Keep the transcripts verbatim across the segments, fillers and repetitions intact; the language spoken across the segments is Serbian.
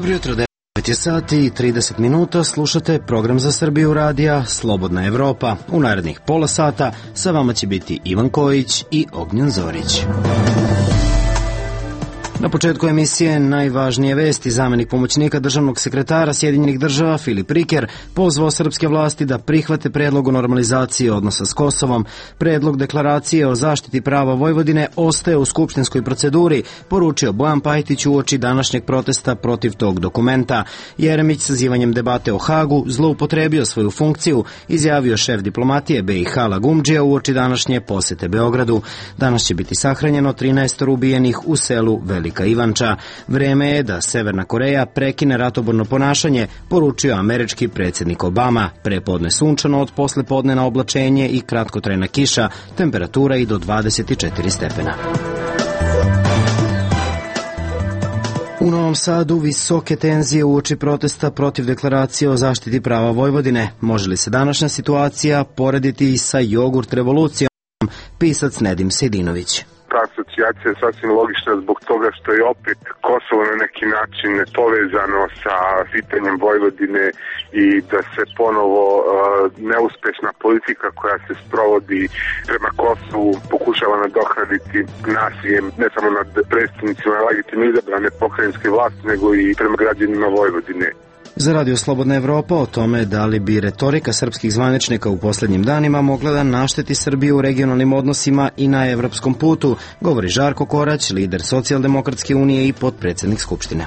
Dobro jutro, devet je sati i trideset minuta, slušate program za Srbiju radija Slobodna Evropa. U narednih pola sata sa vama će biti Ivan Kojić i Ognjen Zorić. Na početku emisije najvažnije vesti. Zamenik pomoćnika državnog sekretara Sjedinjenih država Filip Riker pozvao srpske vlasti da prihvate predlog o normalizaciji odnosa s Kosovom. Predlog deklaracije o zaštiti prava Vojvodine ostaje u skupštinskoj proceduri, poručio Bojan Pajtić uoči današnjeg protesta protiv tog dokumenta. Jeremić sazivanjem debate o Hagu zloupotrebio svoju funkciju, izjavio šef diplomatije B i H Lagumdžija uoči današnje posete Beogradu. Danas će biti sahranjeno trinaest ubijenih u selu Velika Ivanča. Vreme je da Severna Koreja prekine ratoborno ponašanje, poručio američki predsjednik Obama. Prepodne sunčano, od poslepodne na oblačenje i kratkotrajna kiša, temperatura i do dvadeset četiri stepena. U Novom Sadu visoke tenzije uoči protesta protiv deklaracije o zaštiti prava Vojvodine. Može li se današnja situacija porediti i sa jogurt revolucijom? Pisac Nedim Sejdinović. Ta asocijacija je sasvim logična zbog toga što je opet Kosovo na neki način povezano sa pitanjem Vojvodine i da se ponovo uh, neuspešna politika koja se sprovodi prema Kosovu pokušava nadoknaditi nasiljem ne samo nad predstavnicima legitimno izabrane pokrajinske vlasti, nego i prema građanima Vojvodine. Za Radio Slobodna Evropa o tome da li bi retorika srpskih zvaničnika u posljednjim danima mogla da našteti Srbiju u regionalnim odnosima i na evropskom putu, govori Žarko Korać, lider Socijaldemokratske unije i potpredsjednik Skupštine.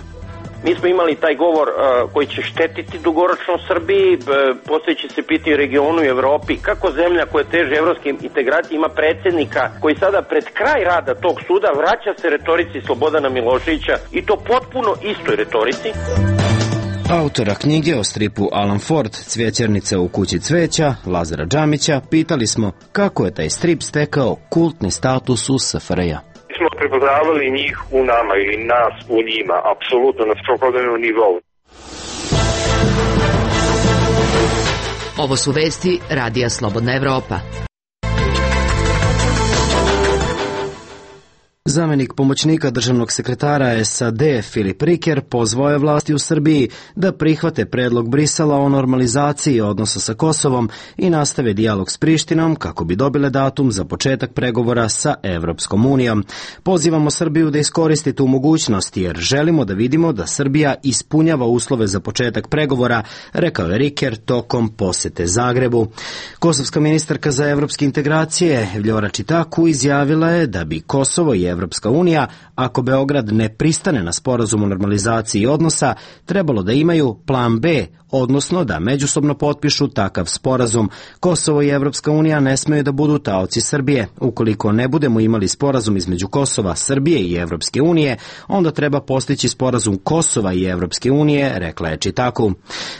Mi smo imali taj govor uh, koji će štetiti dugoročno Srbiji, uh, postojeći se pitaju regionu i Evropi, kako zemlja koja teže evropske integracije ima predsjednika koji sada pred kraj rada tog suda vraća se retorici Slobodana Miloševića i to potpuno istoj retorici. Autora knjige o stripu Alan Ford, Cvjećernica u kući cveća, Lazara Džamića, pitali smo kako je taj strip stekao kultni status u S F R J. Mi smo prepoznavali njih u nama ili nas u njima, apsolutno na svakodnevnom nivou. Ovo su vesti Radija Slobodna Evropa. Zamenik pomoćnika državnog sekretara S A D Filip Riker pozvao je vlasti u Srbiji da prihvate predlog Brisela o normalizaciji odnosa sa Kosovom i nastave dijalog s Prištinom kako bi dobile datum za početak pregovora sa Evropskom unijom. Pozivamo Srbiju da iskoristi tu mogućnost jer želimo da vidimo da Srbija ispunjava uslove za početak pregovora, rekao je Riker tokom posete Zagrebu. Kosovska ministarka za evropske integracije Vljora Čitaku izjavila je da bi Kosovo i Evropska unija, ako Beograd ne pristane na sporazum o normalizaciji odnosa, trebalo da imaju plan B, odnosno da međusobno potpišu takav sporazum. Kosovo i Evropska unija ne smeju da budu taoci Srbije. Ukoliko ne budemo imali sporazum između Kosova, Srbije i Evropske unije, onda treba postići sporazum Kosova i Evropske unije, rekla je Čitaku.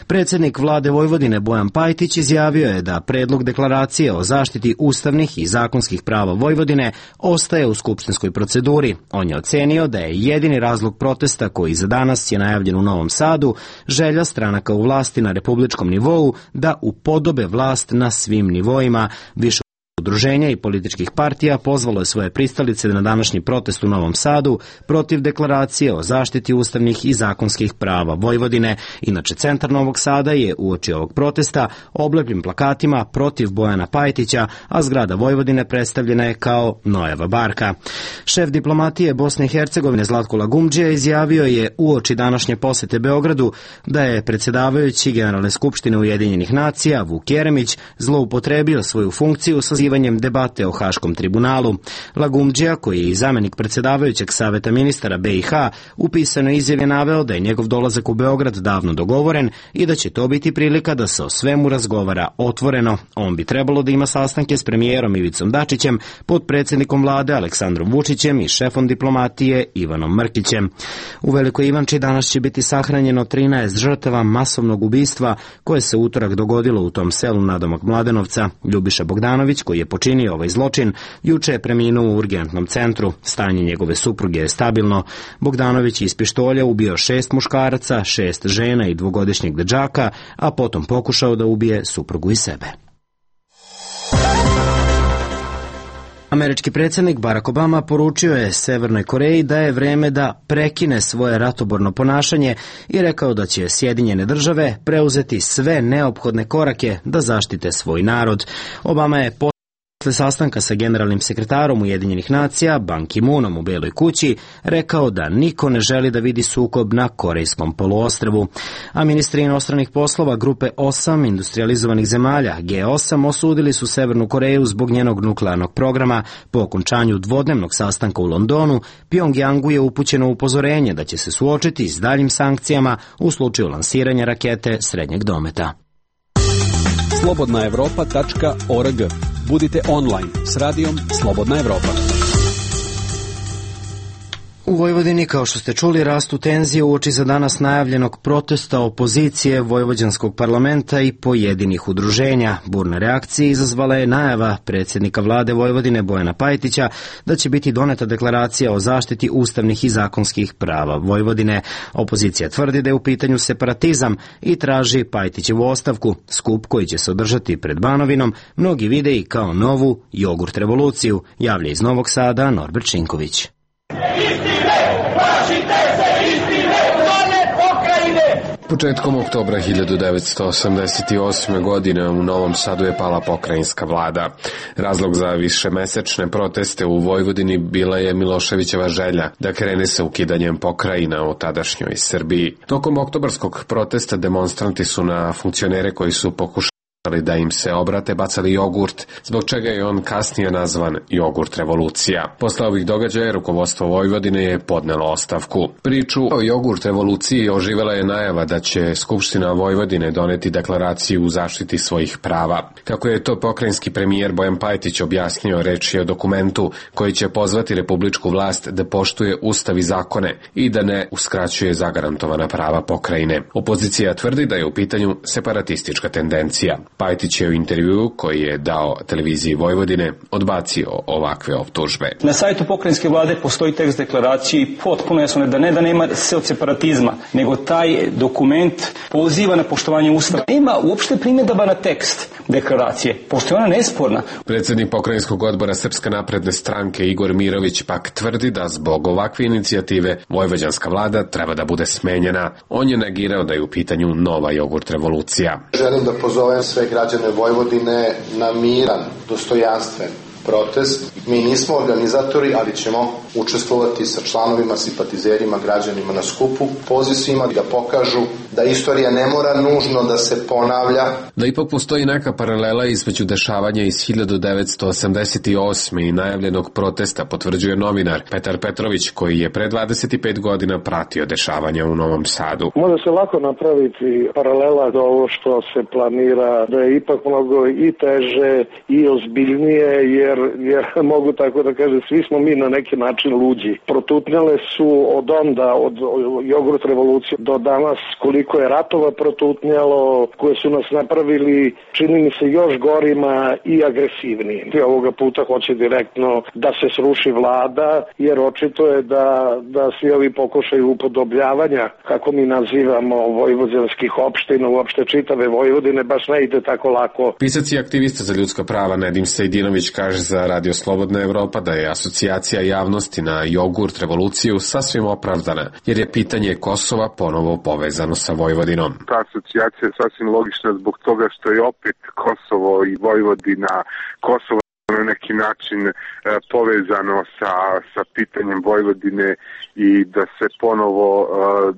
Predsjednik vlade Vojvodine Bojan Pajtić izjavio je da predlog deklaracije o zaštiti ustavnih i zakonskih prava Vojvodine ostaje u skupštinskoj proceduri. On je ocenio da je jedini razlog protesta koji za danas je najavljen u Novom Sadu želja stranaka u vlasti na republičkom nivou da upodobe vlast na svim nivoima. Više udruženja i političkih partija pozvalo je svoje pristalice na današnji protest u Novom Sadu protiv deklaracije o zaštiti ustavnih i zakonskih prava Vojvodine. Inače, centar Novog Sada je uoči ovog protesta oblepljen plakatima protiv Bojana Pajtića, a zgrada Vojvodine predstavljena je kao Noeva barka. Šef diplomatije Bosne i Hercegovine Zlatko Lagumdžija izjavio je uoči današnje posete Beogradu da je predsjedavajući Generalne skupštine Ujedinjenih nacija Vuk Jeremić zloupotrebio svoju funkciju sa debate o Haškom tribunalu. Lagumdžija, koji je i zamenik predsjedavajućeg saveta ministara B i H, u pisanoj izjavi naveo da je njegov dolazak u Beograd davno dogovoren i da će to biti prilika da se o svemu razgovara otvoreno. On bi trebalo da ima sastanke s premijerom Ivicom Dačićem, potpredsjednikom vlade Aleksandrom Vučićem i šefom diplomatije Ivanom Mrkićem. U Velikoj Ivanči danas će biti sahranjeno trinaest žrtava masovnog ubistva koje se utorak dogodilo u tom selu nadomak Mladenovca. Ljubiša Bogdanović, koji je počinio ovaj zločin, juče je preminuo u urgentnom centru. Stanje njegove supruge je stabilno. Bogdanović iz pištolja ubio šest muškaraca, šest žena i dvogodišnjeg dečaka, a potom pokušao da ubije suprugu i sebe. Američki predsjednik Barack Obama poručio je Severnoj Koreji da je vreme da prekine svoje ratoborno ponašanje i rekao da će Sjedinjene države preuzeti sve neophodne korake da zaštite svoj narod. Obama je posle sastanka sa generalnim sekretarom Ujedinjenih nacija Ban Ki-moonom u Beloj kući rekao da niko ne želi da vidi sukob na Korejskom poluostrvu. A ministri inostranih poslova grupe osam industrializovanih zemalja G osam osudili su Severnu Koreju zbog njenog nuklearnog programa. Po okončanju dvodnevnog sastanka u Londonu, Pjongjangu je upućeno upozorenje da će se suočiti s daljim sankcijama u slučaju lansiranja rakete srednjeg dometa. slobodna evropa tačka org. Budite online s radijom Slobodna Evropa. U Vojvodini, kao što ste čuli, rastu tenzije uoči za danas najavljenog protesta opozicije vojvođanskog parlamenta i pojedinih udruženja. Burne reakcije izazvala je najava predsjednika vlade Vojvodine Bojana Pajtića da će biti doneta deklaracija o zaštiti ustavnih i zakonskih prava Vojvodine. Opozicija tvrdi da je u pitanju separatizam i traži Pajtićevu ostavku. Skup koji će se održati pred Banovinom mnogi vide i kao novu jogurt revoluciju, javlja iz Novog Sada Norbert Šinković. Početkom oktobra hiljadu devetsto osamdeset osme. godine u Novom Sadu je pala pokrajinska vlada. Razlog za višemesečne proteste u Vojvodini bila je Miloševićeva želja da krene sa ukidanjem pokrajina u tadašnjoj Srbiji. Tokom oktobarskog protesta demonstranti su na funkcionere koji su pokušali da im se obrate bacali jogurt, zbog čega je on kasnije nazvan jogurt revolucija. Posle ovih događaja rukovodstvo Vojvodine je podnelo ostavku. Priču o jogurt revoluciji oživela je najava da će Skupština Vojvodine doneti deklaraciju u zaštiti svojih prava. Kako je to pokrajinski premijer Bojan Pajtić objasnio, reč je o dokumentu koji će pozvati republičku vlast da poštuje ustav i zakone i da ne uskraćuje zagarantovana prava pokrajine. Opozicija tvrdi da je u pitanju separatistička tendencija. Pajtić je u intervjuu koji je dao televiziji Vojvodine odbacio ovakve optužbe. Na sajtu pokrajinske vlade postoji tekst deklaracije i potpuno jasno da ne da nema separatizma, nego taj dokument poziva na poštovanje ustava. Nema uopšte primjedaba na tekst deklaracije, pošto je ona nesporna. Predsjednik pokrajinskog odbora Srpske napredne stranke Igor Mirović pak tvrdi da zbog ovakve inicijative vojvođanska vlada treba da bude smenjena. On je negirao da je u pitanju nova jogurt revolucija. Želim da pozovem sve građane Vojvodine na miran, dostojanstven protest. Mi nismo organizatori, ali ćemo učestvovati sa članovima, simpatizerima, građanima na skupu. Poziv svima da pokažu da istorija ne mora nužno da se ponavlja. Da ipak postoji neka paralela između dešavanja iz hiljadu devetsto osamdeset osme. i najavljenog protesta, potvrđuje novinar Petar Petrović, koji je pre dvadeset pet godina pratio dešavanja u Novom Sadu. Može se lako napraviti paralela do ovo što se planira, da je ipak mnogo i teže i ozbiljnije, jer, jer mogu tako da kažem, svi smo mi na neki način luđi. Protutnjale su od onda, od jogurt revolucije do danas, koliko je ratova protutnjalo, koje su nas napravili, čini mi se, još gorima i agresivnijim. Ovoga puta hoće direktno da se sruši vlada, jer očito je da, da svi ovi pokušaju upodobljavanja, kako mi nazivamo, vojvođanskih opština, uopšte čitave Vojvodine, baš ne ide tako lako. Pisac i aktivista za ljudska prava Nedim Sejdinović kaže za Radio Slobodna Evropa da je asocijacija javnosti na jogurt revoluciju sasvim opravdana, jer je pitanje Kosova ponovo povezano sa Vojvodinom. Ta asocijacija je sasvim logična zbog toga što je opet Kosovo i Vojvodina, Kosovo na neki način e, povezano sa, sa pitanjem Vojvodine i da se ponovo e,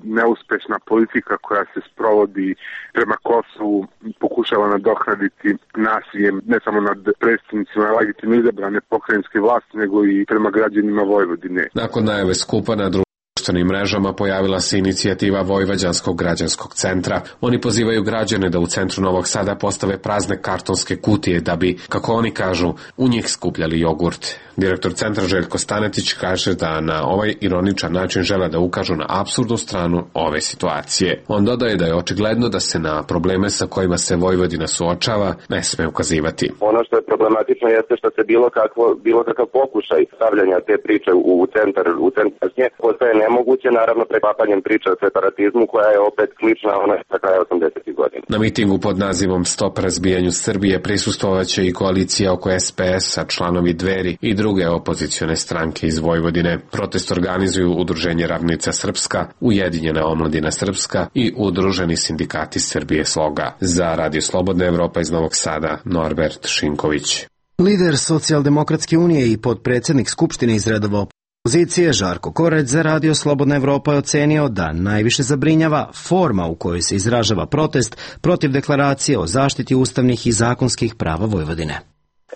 neuspešna politika koja se sprovodi prema Kosovu pokušava nadoknaditi nasiljem ne samo nad predstavnicima legitimno izabrane pokrajinske vlasti, nego i prema građanima Vojvodine. Nakon najave skupa na društvenim mrežama pojavila se inicijativa Vojvođanskog građanskog centra. Oni pozivaju građane da u centru Novog Sada postave prazne kartonske kutije da bi, kako oni kažu, u njih skupljali jogurt. Direktor centra Željko Stanetić kaže da na ovaj ironičan način žele da ukažu na apsurdnu stranu ove situacije. On dodaje da je očigledno da se na probleme sa kojima se Vojvodina suočava ne sme ukazivati. Ono što je problematično jeste što se bilo kakvo bilo kakav pokušaj stavljanja te priče u centar u centar postaje nemoguće, naravno preklapanjem priče o separatizmu koja je opet slična ona sa kraja osamdesetih godina. Na mitingu pod nazivom Stop razbijanju Srbije prisustvovaće i koalicija oko S P S-a, članovi Dveri i druge opozicione stranke iz Vojvodine. Protest organizuju Udruženje Ravnica Srpska, Ujedinjena omladina Srpska i Udruženi sindikati Srbije Sloga. Za Radio Slobodna Evropa iz Novog Sada, Norbert Šinković. Lider Socijaldemokratske unije i potpredsjednik Skupštine iz redova opozicije Žarko Korać za Radio Slobodna Evropa je ocenio da najviše zabrinjava forma u kojoj se izražava protest protiv deklaracije o zaštiti ustavnih i zakonskih prava Vojvodine.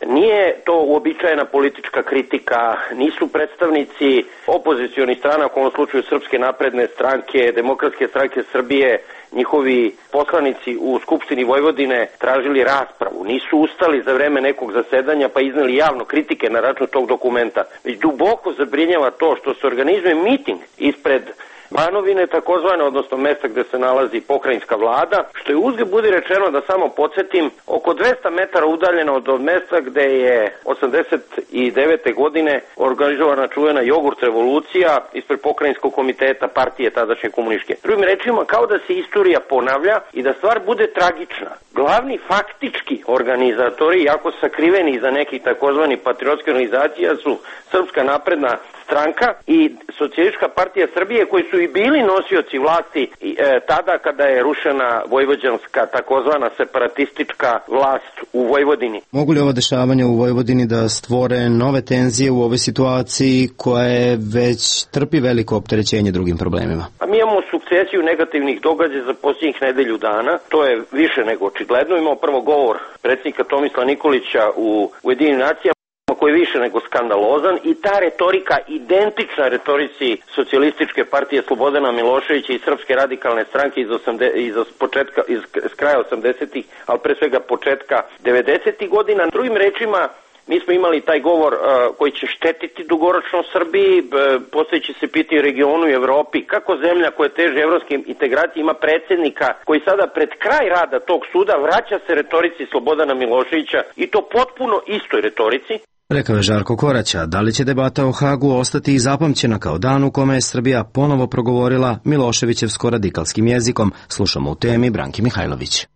Nije to uobičajena politička kritika, nisu predstavnici opozicionih strana, u ovom slučaju Srpske napredne stranke, Demokratske stranke Srbije, njihovi poslanici u Skupštini Vojvodine tražili raspravu. Nisu ustali za vreme nekog zasedanja pa izneli javno kritike na račun tog dokumenta. Već duboko zabrinjava to što se organizuje miting ispred Banovine, takozvane, odnosno mesta gde se nalazi pokrajinska vlada, što je uzgred budi rečeno, da samo podsjetim, oko dvesta metara udaljeno od mesta gde je osamdeset devete godine organizovana čuvena jogurt revolucija ispred pokrajinskog komiteta partije tadašnje komunističke. Drugim rečima, kao da se istorija ponavlja i da stvar bude tragična. Glavni faktički organizatori, jako sakriveni iza nekih takozvani patriotskih organizacija, su Srpska napredna stranka i Socijalistička partija Srbije, koji su i bili nosioci vlasti e, tada kada je rušena vojvođanska takozvana separatistička vlast u Vojvodini. Mogu li ova dešavanja u Vojvodini da stvore nove tenzije u ovoj situaciji koja je već trpi veliko opterećenje drugim problemima? A mi imamo sukcesiju negativnih događaja za posljednjih nedelju dana, to je više nego očigledno. Imamo prvo govor predsjednika Tomislava Nikolića u Ujedinjenim nacijama, koji je više nego skandalozan, i ta retorika identična retorici Socijalističke partije Slobodana Miloševića i Srpske radikalne stranke iz, osamde, iz, početka, iz kraja osamdesetih, ali pre svega početka devedesetih godina. Drugim rečima, mi smo imali taj govor uh, koji će štetiti dugoročno Srbiji, uh, postojeći se pitaju regionu i Evropi, kako zemlja koja teže evropskim integracijama ima predsjednika koji sada pred kraj rada tog suda vraća se retorici Slobodana Miloševića, i to potpuno istoj retorici. Rekao je Žarko Koraća. Da li će debata o Hagu ostati i zapamćena kao dan u kome je Srbija ponovo progovorila Miloševićevsko-radikalskim jezikom? Slušamo u temi Branki Mihajlović.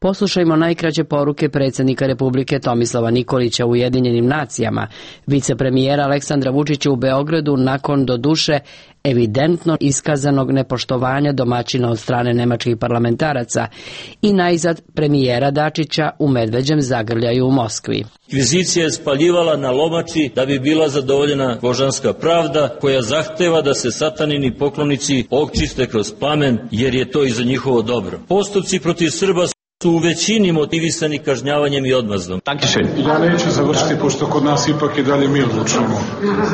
Poslušajmo najkraće poruke predsjednika Republike Tomislava Nikolića u Ujedinjenim nacijama, vicepremijera Aleksandra Vučića u Beogradu nakon doduše evidentno iskazanog nepoštovanja domaćina od strane nemačkih parlamentaraca, i najzad premijera Dačića u medveđem zagrljaju u Moskvi. Inkvizicija je spaljivala na lomači da bi bila zadovoljena božanska pravda, koja zahteva da se satanini poklonici očiste kroz plamen, jer je to i za njihovo dobro. Postupci protiv Srba su u većini motivisani kažnjavanjem i odmazdom. Ja neću završiti, pošto kod nas ipak i dalje mi odlučujemo,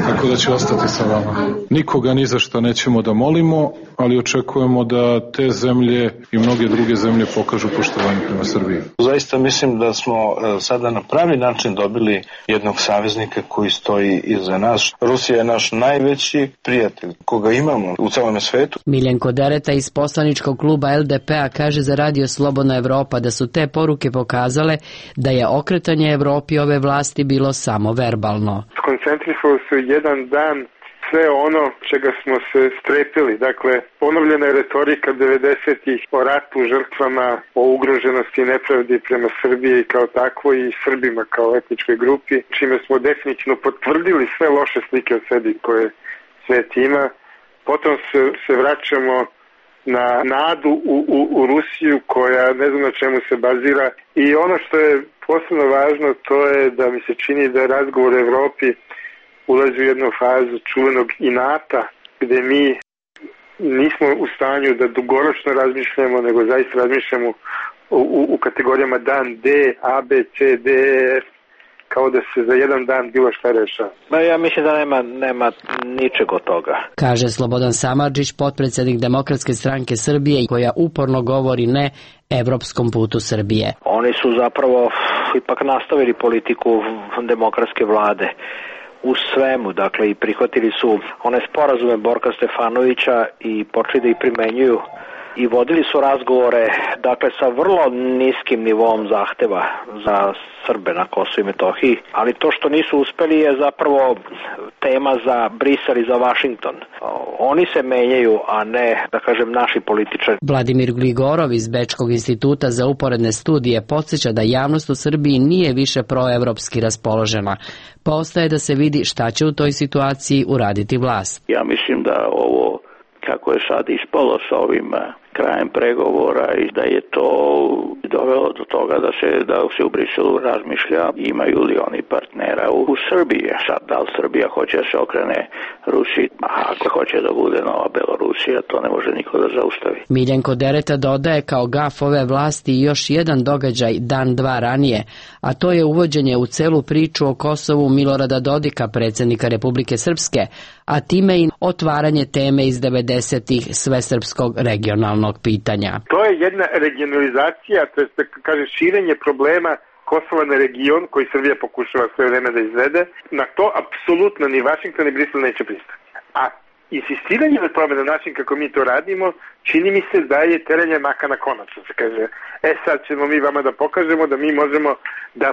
tako da ću ostati sa vama. Nikoga ni za što nećemo da molimo, ali očekujemo da te zemlje i mnoge druge zemlje pokažu poštovanje prema Srbiji. Zaista mislim da smo sada na pravi način dobili jednog saveznika koji stoji iza nas. Rusija je naš najveći prijatelj koga imamo u celom svetu. Miljenko Dereta iz poslaničkog kluba L D P-a kaže za Radio Slobodna Evropa da su te poruke pokazale da je okretanje Evropi ove vlasti bilo samo verbalno. Koncentrisalo se jedan dan sve ono čega smo se strepili. Dakle, ponovljena je retorika devedesetih o ratu, žrtvama, o ugroženosti i nepravdi prema Srbiji kao takvoj i Srbima kao etničkoj grupi, čime smo definitivno potvrdili sve loše slike o sebi koje svet ima. Potom se, se vraćamo na nadu u, u, u Rusiju koja ne znam na čemu se bazira, i ono što je posebno važno, to je da mi se čini da razgovor u Evropi ulazi u jednu fazu čuvenog inata, gde mi nismo u stanju da dugoročno razmišljamo, nego zaista razmišljamo u, u, u kategorijama dan D, A, B, C, D, E, F, kao da se za jedan dan bilo šta rešava. Ma ja mislim da nema, nema ničeg od toga. Kaže Slobodan Samardžić, potpredsjednik Demokratske stranke Srbije, koja uporno govori ne evropskom putu Srbije. Oni su zapravo ipak nastavili politiku demokratske vlade u svemu, dakle, i prihvatili su one sporazume Borka Stefanovića i počeli da ih primenjuju i vodili su razgovore, dakle, sa vrlo niskim nivom zahteva za Srbe na Kosovu i Metohiji, ali to što nisu uspeli je zapravo tema za Brisel i za Vašington. Oni se menjaju, a ne, da kažem, naši političari. Vladimir Gligorov iz Bečkog instituta za uporedne studije podsjeća da javnost u Srbiji nije više proevropski raspoložena, pa ostaje da se vidi šta će u toj situaciji uraditi vlast. Ja mislim da ovo, kako je sad ispalo sa ovim krajem pregovora, i da je to dovelo do toga da se, da se u Briselu razmišlja imaju li oni partnera u, u Srbiji. Sad, da li Srbija hoće da se okrene Rusiji, a ako hoće da bude nova Belorusija, to ne može niko da zaustavi. Miljenko Dereta dodaje kao gaf ove vlasti još jedan događaj dan dva ranije, a to je uvođenje u celu priču o Kosovu Milorada Dodika, predsjednika Republike Srpske, a time i otvaranje teme iz devedesetih svesrpskog regionalnog pitanja. To je jedna regionalizacija, to je, kaže, širenje problema Kosova na region koji Srbija pokušava sve vreme da izvede. Na to apsolutno ni Vašington ni Brisel neće pristati. A insistiranje na tome na način kako mi to radimo, čini mi se da je teranje maka na konac. Se kaže, e sad ćemo mi vama da pokažemo da mi možemo da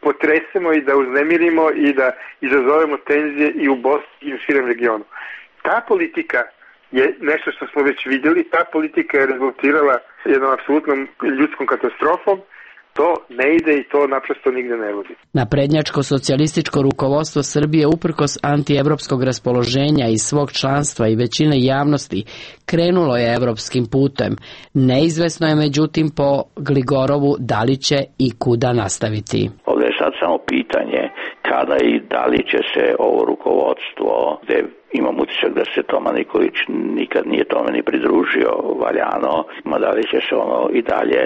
potresemo i da uznemirimo i da izazovemo tenzije i u Bosni i u širem regionu. Ta politika je nešto što smo već vidjeli, ta politika je rezultirala jednom apsolutnom ljudskom katastrofom. To ne ide i to naprosto nigde ne vodi. Naprednjačko socijalističko rukovodstvo Srbije uprkos antievropskog raspoloženja i svog članstva i većine javnosti krenulo je evropskim putem. Neizvesno je međutim po Gligorovu da li će i kuda nastaviti. Ovdje je sad samo pitanje kada i da li će se ovo rukovodstvo, gde imam utisak da se Toma Nikolić nikad nije tome ni pridružio valjano, ma da li će se ono i dalje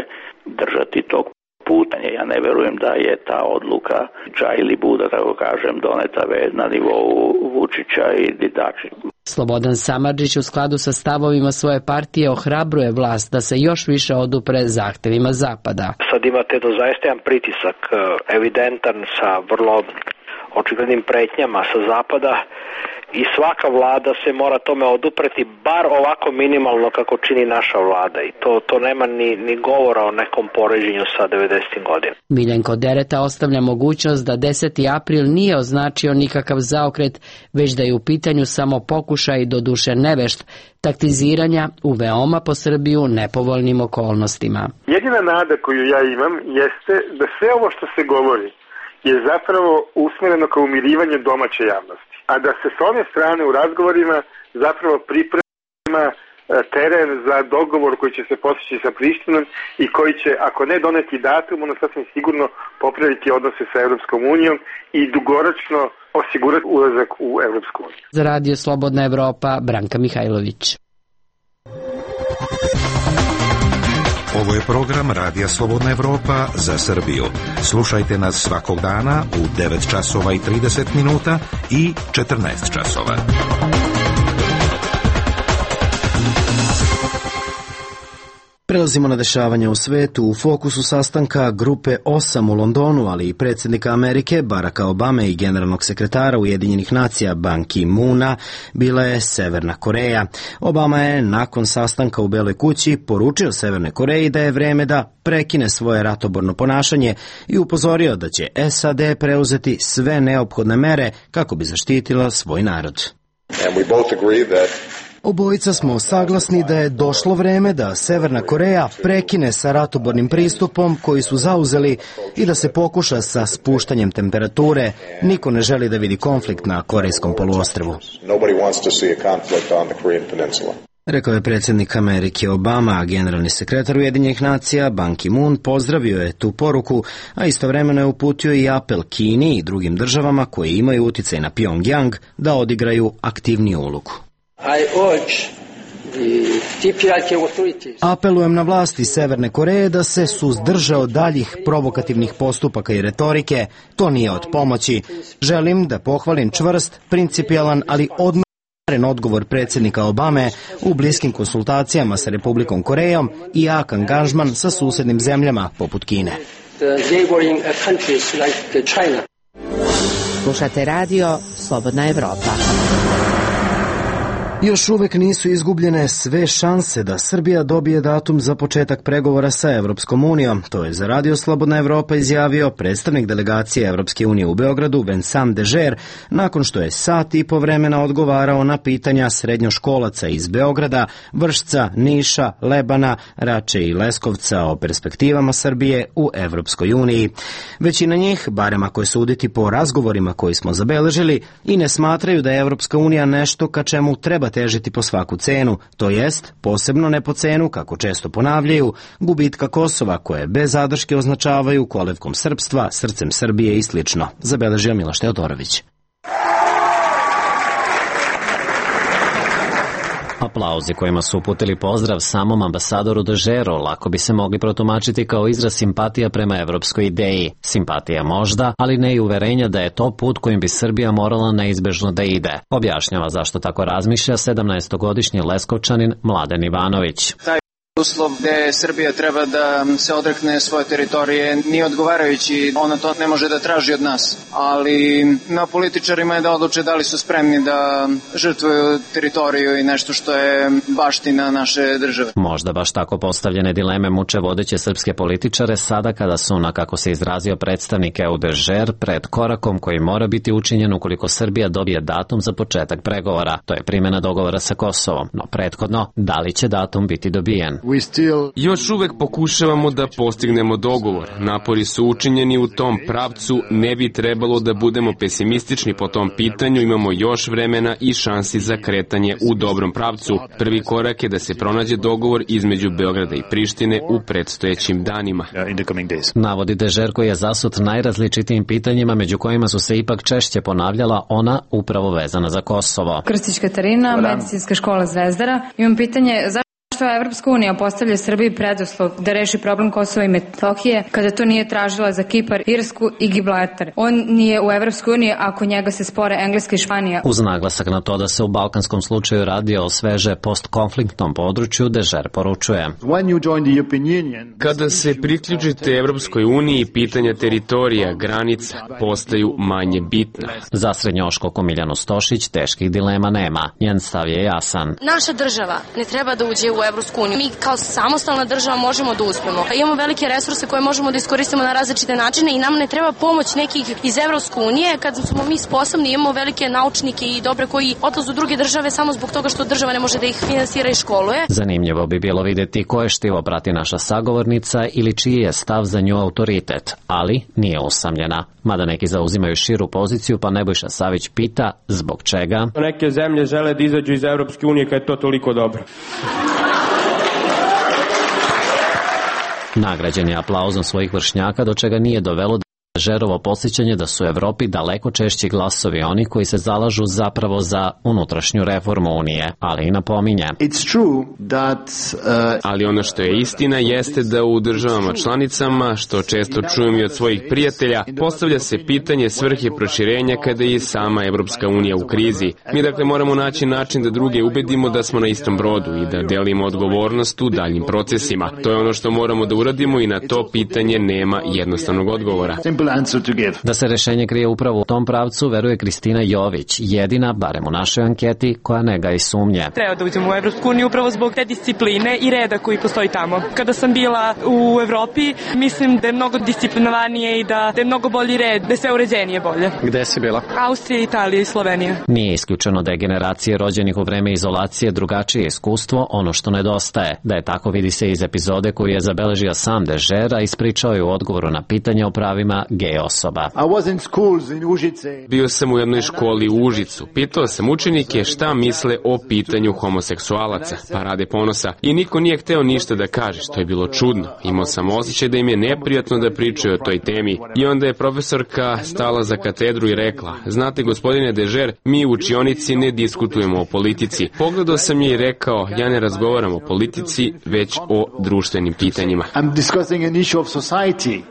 držati tog putanje. Ja ne verujem da je ta odluka ča ili buda, tako kažem, doneta na nivou Vučića i Didači. Slobodan Samardžić u skladu sa stavovima svoje partije ohrabruje vlast da se još više odupre zahtevima Zapada. Sad imate do zaista jedan pritisak evidentan sa vrlo očiglednim pretnjama sa Zapada i svaka vlada se mora tome odupreti, bar ovako minimalno kako čini naša vlada, i to, to nema ni, ni govora o nekom poređenju sa devedesetim godinama. Miljenko Dereta ostavlja mogućnost da deseti april nije označio nikakav zaokret, već da je u pitanju samo pokušaj, doduše nevešt, taktiziranja u veoma po Srbiju nepovoljnim okolnostima. Jedina nada koju ja imam jeste da sve ovo što se govori je zapravo usmjereno kao umirivanje domaće javnosti, a da se s one strane u razgovorima zapravo priprema teren za dogovor koji će se postići sa Prištinom i koji će, ako ne doneti datum, ono sasvim sigurno popraviti odnose sa Evropskom unijom i dugoročno osigurati ulazak u Evropsku uniju. Za Radio Slobodna Evropa, Branka Mihajlović. Ovo je program Radija Slobodna Evropa za Srbiju. Slušajte nas svakog dana u devet časova i trideset minuta i četrnaest časova. Prelazimo na dešavanja u svetu. U fokusu sastanka grupe osam u Londonu, ali i predsjednika Amerike Baracka Obame i generalnog sekretara Ujedinjenih nacija Ban Ki-moona bila je Severna Koreja. Obama je nakon sastanka u Beloj kući poručio Severnoj Koreji da je vreme da prekine svoje ratoborno ponašanje i upozorio da će S A D preuzeti sve neophodne mere kako bi zaštitila svoj narod. And we both agree that Obojica smo saglasni da je došlo vreme da Severna Koreja prekine sa ratobornim pristupom koji su zauzeli i da se pokuša sa spuštanjem temperature. Niko ne želi da vidi konflikt na Korejskom poluostrvu. Rekao je predsjednik Amerike Obama, a generalni sekretar Ujedinjenih nacija Ban Ki-moon pozdravio je tu poruku, a istovremeno je uputio i apel Kini i drugim državama koji imaju uticaj na Pyongyang da odigraju aktivniju ulogu. Apelujem na vlasti Severne Koreje da se suzdrže od daljih provokativnih postupaka i retorike. To nije od pomoći. Želim da pohvalim čvrst, principijelan, ali odmeren odgovor predsjednika Obame u bliskim konsultacijama sa Republikom Korejom i jak angažman sa susjednim zemljama poput Kine. Slušate radio Slobodna Evropa. Još uvek nisu izgubljene sve šanse da Srbija dobije datum za početak pregovora sa Evropskom unijom. To je za Radio Slobodna Evropa izjavio predstavnik delegacije Evropske unije u Beogradu Vincent Dežer nakon što je sat i po vremena odgovarao na pitanja srednjoškolaca iz Beograda, Vršca, Niša, Lebana, Rače i Leskovca o perspektivama Srbije u Evropskoj uniji. Većina njih, barem ako je suditi po razgovorima koji smo zabeležili, i ne smatraju da je Evropska unija nešto ka čemu treba težiti po svaku cenu, to jest, posebno ne po cenu, kako često ponavljaju, gubitka Kosova koje bez zadrške označavaju kolevkom srpstva, srcem Srbije i slično, zabeležio Miloš Teodorović. Aplauzi kojima su uputili pozdrav samom ambasadoru Dežeru lako bi se mogli protumačiti kao izraz simpatija prema evropskoj ideji. Simpatija možda, ali ne i uverenja da je to put kojim bi Srbija morala neizbežno da ide. Objašnjava zašto tako razmišlja sedamnaestogodišnji Leskovčanin Mladen Ivanović. Uslov gde Srbija treba da se odrekne svoje teritorije nije odgovarajući, ona to ne može da traži od nas, ali na političarima je da odluče da li su spremni da žrtvuju teritoriju i nešto što je baština naše države. Možda baš tako postavljene dileme muče vodeće srpske političare sada kada su, na kako se izrazio predstavnik E U Dežer, pred korakom koji mora biti učinjen ukoliko Srbija dobije datum za početak pregovora. To je primjena dogovora sa Kosovom, no prethodno, da li će datum biti dobijen? Još uvek pokušavamo da postignemo dogovor. Napori su učinjeni u tom pravcu, ne bi trebalo da budemo pesimistični po tom pitanju, imamo još vremena i šansi za kretanje u dobrom pravcu. Prvi korak je da se pronađe dogovor između Beograda i Prištine u predstojećim danima. Navodi Dežer koji je zasut najrazličitijim pitanjima, među kojima su se ipak češće ponavljala ona upravo vezana za Kosovo. Krstić Katarina, Medicinska škola Zvezdara. Imam pitanje, zašto Zašto Evropska unija postavlja Srbiji preduslov da reši problem Kosova i Metohije kada to nije tražila za Kipar, Irsku i Gibraltar? On nije u Evropskoj uniji ako njega se spore Engleska i Španija. Uz naglasak na to da se u balkanskom slučaju radi o sveže postkonfliktnom području, Dežer poručuje. Kada se priključite Evropskoj uniji, pitanja teritorija, granica postaju manje bitna. Za srednjoškolku Miljanu Stošić teških dilema nema. Njen stav je jasan. Naša država ne treba da uđe u Evropsku uniju. Mi kao samostalna država možemo da uspemo. Imamo velike resurse koje možemo da iskoristimo na različite načine i nam ne treba pomoć nekih iz Evropske unije kad smo mi sposobni, imamo velike naučnike i dobre koji odlaze u druge države samo zbog toga što država ne može da ih finansira i školuje. Zanimljivo bi bilo vidjeti koje štivo prati naša sagovornica ili čiji je stav za nju autoritet, ali nije usamljena. Mada neki zauzimaju širu poziciju, pa Nebojša Savić pita zbog čega. Neke zemlje žele da izađu iz Evropske unije kad je to toliko dobro. Nagrađen je aplauzom svojih vršnjaka, do čega nije dovelo Dežerovo podsjećanje da su u Evropi daleko češći glasovi oni koji se zalažu zapravo za unutrašnju reformu Unije, ali i napominje. That, uh... Ali ono što je istina jeste da u državama članicama, što često čujem i od svojih prijatelja, postavlja se pitanje svrhe proširenja kada je sama Evropska unija u krizi. Mi dakle moramo naći način da druge ubedimo da smo na istom brodu i da delimo odgovornost u daljim procesima. To je ono što moramo da uradimo i na to pitanje nema jednostavnog odgovora. Da se rešenje krije upravo u tom pravcu, veruje Kristina Jović, jedina, barem u našoj anketi, koja ne gaji sumnje. Treba da uđemo u Evropsku uniju upravo zbog te discipline i reda koji postoji tamo. Kada sam bila u Evropi, mislim da je mnogo disciplinovanije i da je mnogo bolji red, da je sve uređenije bolje. Gde si bila? Austrija, Italija i Slovenija. Nije isključeno da je generacije rođenih u vreme izolacije drugačije iskustvo, ono što nedostaje. Da je tako vidi se iz epizode koju je zabeležio sam Dežer, a ispričao je u odgovoru na pitanje o pravima gej osoba. Bio sam u jednoj školi u Užicu. Pitao sam učenike šta misle o pitanju homoseksualaca, Parade ponosa, i niko nije hteo ništa da kaže, što je bilo čudno. Imao sam osjećaj da im je neprijatno da pričaju o toj temi. I onda je profesorka stala za katedru i rekla: znate, gospodine Dežer, mi u učionici ne diskutujemo o politici. Pogledao sam je i rekao: ja ne razgovaram o politici, već o društvenim pitanjima.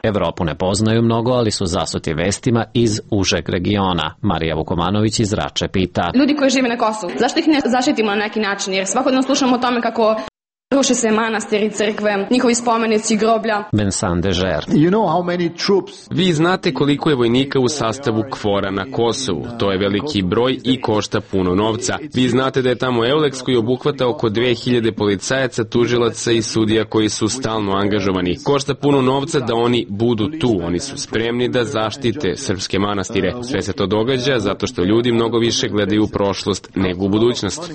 Evropu ne poznaju mnogo, ali su zasuti vestima iz užeg regiona. Marija Vukomanović iz Rače pita. Ljudi koji žive na Kosovu, zašto ih ne zaštitimo na neki način? Jer svakodnevno slušamo o tome kako Ruše se manastiri, crkve, njihovi spomenici, groblja. Vincent Dežer. You know how many troops... Vi znate koliko je vojnika u sastavu KFOR-a na Kosovu. To je veliki broj i košta puno novca. Vi znate da je tamo Euleks koji obuhvata oko dve hiljade policajaca, tužilaca i sudija koji su stalno angažovani. Košta puno novca da oni budu tu. Oni su spremni da zaštite srpske manastire. Sve se to događa zato što ljudi mnogo više gledaju u prošlost nego u budućnost.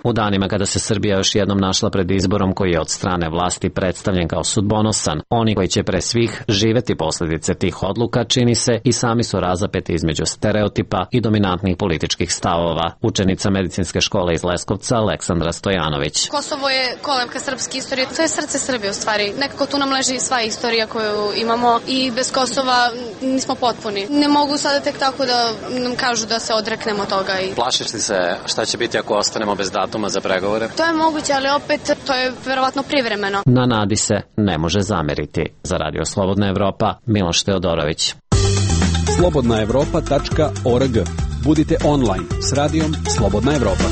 U danima kada se Srbija još jednom našla pred izborom koji je od strane vlasti predstavljen kao sudbonosan, oni koji će pre svih živeti posljedice tih odluka, čini se, i sami su razapeti između stereotipa i dominantnih političkih stavova. Učenica medicinske škole iz Leskovca, Aleksandra Stojanović. Kosovo je kolevka srpske istorije, to je srce Srbije u stvari. Nekako tu nam leži sva istorija koju imamo i bez Kosova nismo potpuni. Ne mogu sada tek tako da nam kažu da se odreknemo toga. I... Plašiš li se šta će biti ako ostanemo bez datuma za pregovore? To je moguće, ali opet to je verovatno privremeno. Na nadi se ne može zameriti. Za Radio Slobodna Evropa, Miloš Teodorović. slobodna evropa tačka org. Budite online s radijom Slobodna Evropa.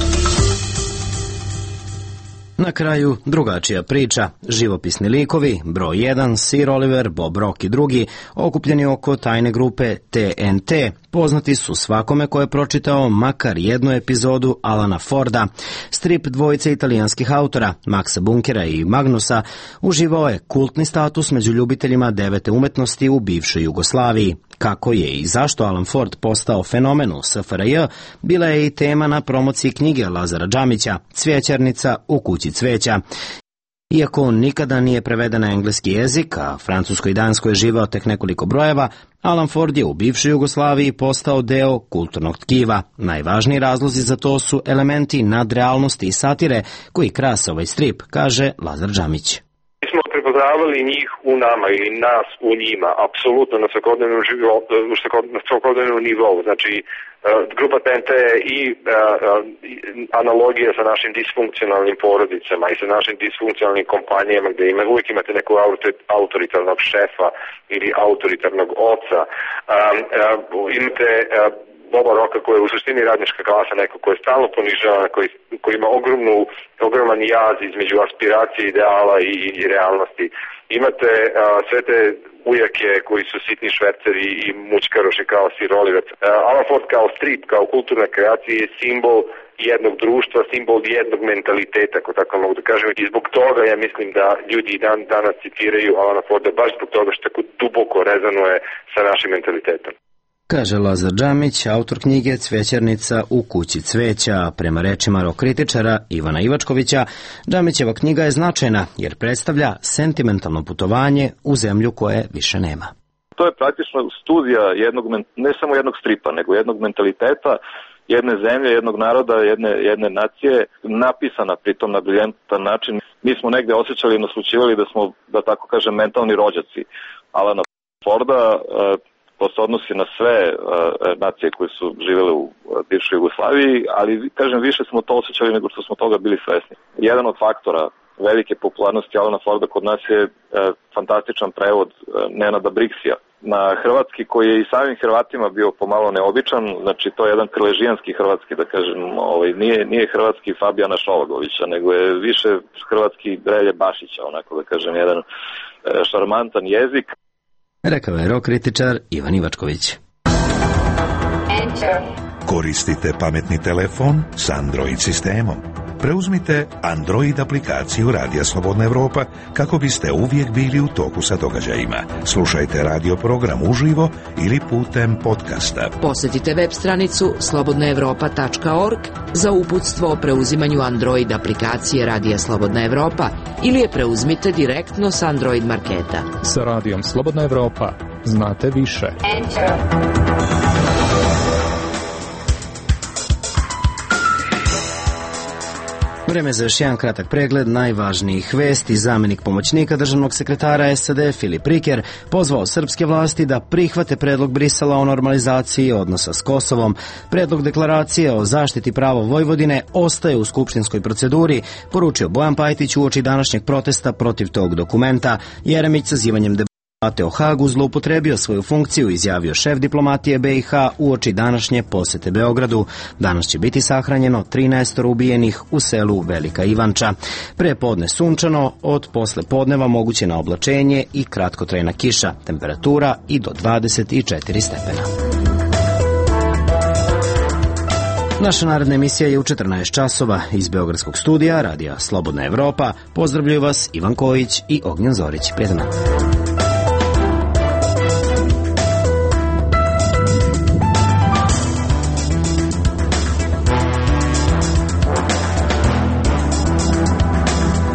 Na kraju drugačija priča. Živopisni likovi, broj jedan, Sir Oliver, Bob Rock i drugi, okupljeni oko tajne grupe T N T, poznati su svakome ko je pročitao makar jednu epizodu Alana Forda. Strip dvojice italijanskih autora, Maxa Bunkera i Magnusa, uživao je kultni status među ljubiteljima devete umetnosti u bivšoj Jugoslaviji. Kako je i zašto Alan Ford postao fenomen u S F R J, bila je i tema na promociji knjige Lazara Džamića, Cvjećarnica u kući cveća. Iako on nikada nije preveden na engleski jezik, a francusko i dansko je živao tek nekoliko brojeva, Alan Ford je u bivšoj Jugoslaviji postao deo kulturnog tkiva. Najvažniji razlozi za to su elementi nadrealnosti i satire koji krase ovaj strip, kaže Lazar Džamić. Prepoznavali njih u nama ili nas u njima, apsolutno na svakodnevnom životu, na svakodnevnom nivou. Znači, grupa T N T i analogija sa našim disfunkcionalnim porodicama i sa našim disfunkcionalnim kompanijama gdje ima, uvijek imate nekog autoritarnog šefa ili autoritarnog oca. Imate Boba Rocka koji je u suštini radnička klasa, neko koji je stalno ponižavan, koji, koji ima ogromnu, ogroman jaz između aspiracije, ideala i, i realnosti. Imate a, sve te ujake koji su sitni šverceri i mućkaroši kao Sir Oliver. Alan Ford kao strip, kao kulturna kreacija je simbol jednog društva, simbol jednog mentaliteta, ako tako mogu da kažem. I zbog toga ja mislim da ljudi dan danas citiraju Alana Forda baš zbog toga što tako duboko rezonuje sa našim mentalitetom. Kaže Lazar Džamić, autor knjige Cvećarnica u kući cveća. Prema rečima rock kritičara Ivana Ivačkovića, Džamićeva knjiga je značajna jer predstavlja sentimentalno putovanje u zemlju koje više nema. To je praktično studija jednog, ne samo jednog stripa, nego jednog mentaliteta, jedne zemlje, jednog naroda, jedne, jedne nacije, napisana pritom na briljantan način. Mi smo negde osjećali i naslućivali da smo, da tako kažem, mentalni rođaci Alana Forda. To se odnosi na sve uh, nacije koje su živjele u uh, bivšoj Jugoslaviji, ali kažem više smo to osjećali nego što smo toga bili svesni. Jedan od faktora velike popularnosti Alana Forda kod nas je uh, fantastičan prevod uh, Nenada Briksija na hrvatski, koji je i samim Hrvatima bio pomalo neobičan. Znači to je jedan krležijanski hrvatski, da kažem, ovaj, nije, nije hrvatski Fabijana Šolagovića, nego je više hrvatski Relje Bašića, onako da kažem, jedan uh, šarmantan jezik. Rekao je rock kritičar Ivan Ivačković. Koristite pametni telefon s Android sistemom. Preuzmite Android aplikaciju Radija Slobodna Evropa kako biste uvijek bili u toku sa događajima. Slušajte radio program uživo ili putem podcasta. Posjetite web stranicu slobodna evropa tačka org za uputstvo o preuzimanju Android aplikacije Radija Slobodna Evropa ili je preuzmite direktno s Android marketa. Sa Radijom Slobodna Evropa znate više. Enter. Vreme za još jedan kratak pregled najvažnijih vesti. Zamenik pomoćnika državnog sekretara S A D Filip Riker pozvao srpske vlasti da prihvate predlog Brisela o normalizaciji odnosa s Kosovom. Predlog deklaracije o zaštiti prava Vojvodine ostaje u skupštinskoj proceduri, poručio Bojan Pajtić uoči današnjeg protesta protiv tog dokumenta. Jeremić sazivanjem o Hagu zloupotrebio svoju funkciju, izjavio šef diplomatije B i H uoči današnje posete Beogradu. Danas će biti sahranjeno trinaest ubijenih u selu Velika Ivanča. Pre podne sunčano, od posle podneva moguće na oblačenje i kratkotrajna kiša, temperatura i do dvadeset četiri stepena. Naša naredna emisija je u četrnaest časova iz Beogradskog studija Radija Slobodna Evropa. Pozdravljuju vas Ivan Kojić i Ognjen Zorić. Prijatno.